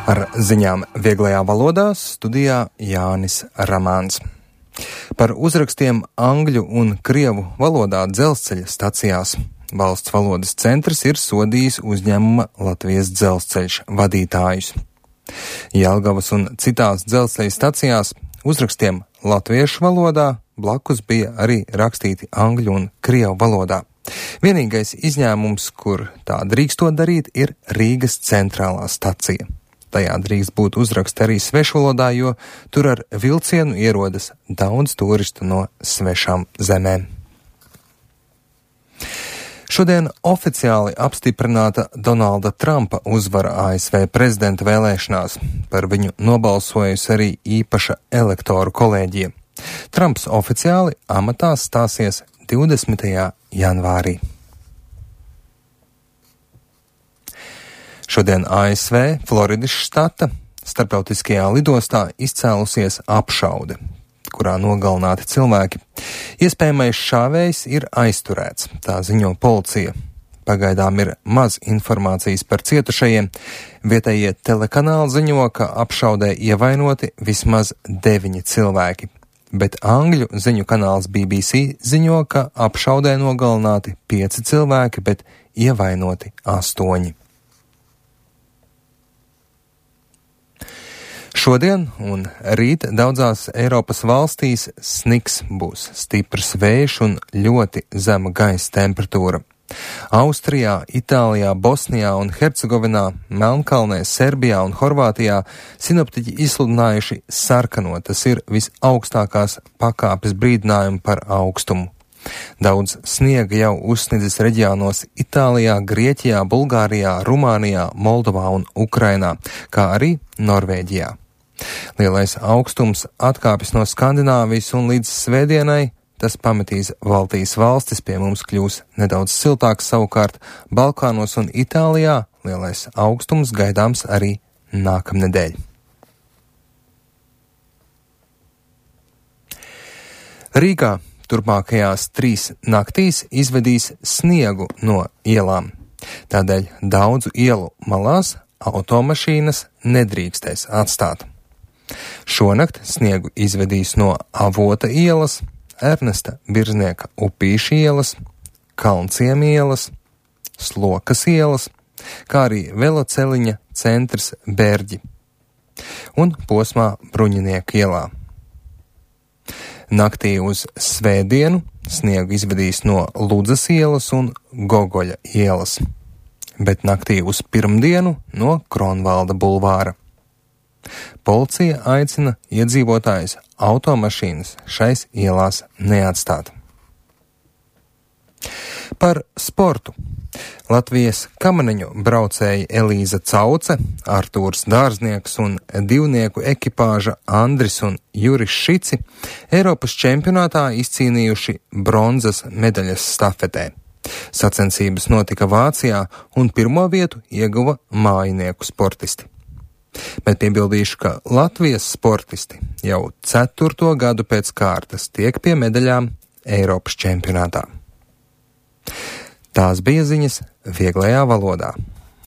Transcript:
Ar ziņām vieglajā valodā studijā Jānis Ramāns. Par uzrakstiem angļu un krievu valodā dzelzceļa stacijās Valsts valodas centrs ir sodījis uzņēmuma Latvijas dzelzceļš vadītājus. Jelgavas un citās dzelzceļa stacijās uzrakstiem latviešu valodā blakus bija arī rakstīti angļu un krievu valodā. Vienīgais izņēmums, kur tā drīkstot darīt, ir Rīgas centrālā stacija. Tajā drīkst būt uzraksti arī svešvalodā, jo tur ar vilcienu ierodas daudz turistu no svešām zemēm. Šodien oficiāli apstiprināta Donalda Trumpa uzvara ASV prezidenta vēlēšanās. Par viņu nobalsojusi arī īpaša elektoru kolēģija. Trumps oficiāli amatā stāsies 20. janvārī. Šodien ASV Floridas štata starptautiskajā lidostā izcēlusies apšaude, kurā nogalināti cilvēki. Iespējamais šāvējs ir aizturēts, tā ziņo policija. Pagaidām ir maz informācijas par cietušajiem. Vietējie telekanāli ziņo, ka apšaudē ievainoti vismaz 9 cilvēki, bet angļu ziņu kanāls BBC ziņo, ka apšaudē nogalināti 5 cilvēki, bet ievainoti 8. Šodien un rīt daudzās Eiropas valstīs sniks, būs stiprs vējš un ļoti zema gaisa temperatūra. Austrijā, Itālijā, Bosnijā un Hercegovinā, Melnkalnē, Serbijā un Horvātijā sinoptiķi izsludinājuši sarkano, tas ir visaugstākās pakāpes brīdinājumi par aukstumu. Daudz sniega jau uzsnidzis reģionos Itālijā, Grieķijā, Bulgārijā, Rumānijā, Moldovā un Ukrainā, kā arī Norvēģijā. Lielais augstums atkāpjas no Skandināvijas un līdz svētdienai tas pametīs Baltijas valstis, pie mums kļūs nedaudz siltāks, savukārt Balkānos un Itālijā lielais augstums gaidāms arī nākamnedēļ. Rīgā turpmākajās 3 naktīs izvedīs sniegu no ielām. Tādēļ daudzu ielu malās automašīnas nedrīkstēs atstāt. Šonakt sniegu izvedīs no Avota ielas, Ernesta Birznieka Upīša ielas, Kalnciem ielas, Slokas ielas, kā arī veloceliņa centrs Bērģi un posmā Bruņinieku ielā. Naktī uz svētdienu sniegu izvedīs no Ludzas ielas un Gogoļa ielas, bet naktī uz pirmdienu no Kronvalda bulvāra. Policija aicina iedzīvotājus automašīnas šais ielās neatstāt. Par sportu. Latvijas kamaneņu braucēji Elīza Cauce, Artūrs Dārznieks un divnieku ekipāža Andris un Juris Šici Eiropas čempionātā izcīnījuši bronzas medaļas stafetē. Sacensības notika Vācijā un pirmo vietu ieguva mājinieku sportisti. Bet piebildīšu, ka Latvijas sportisti jau 4. gadu pēc kārtas tiek pie medaļām Eiropas čempionātā. Tās bija ziņas vieglajā valodā.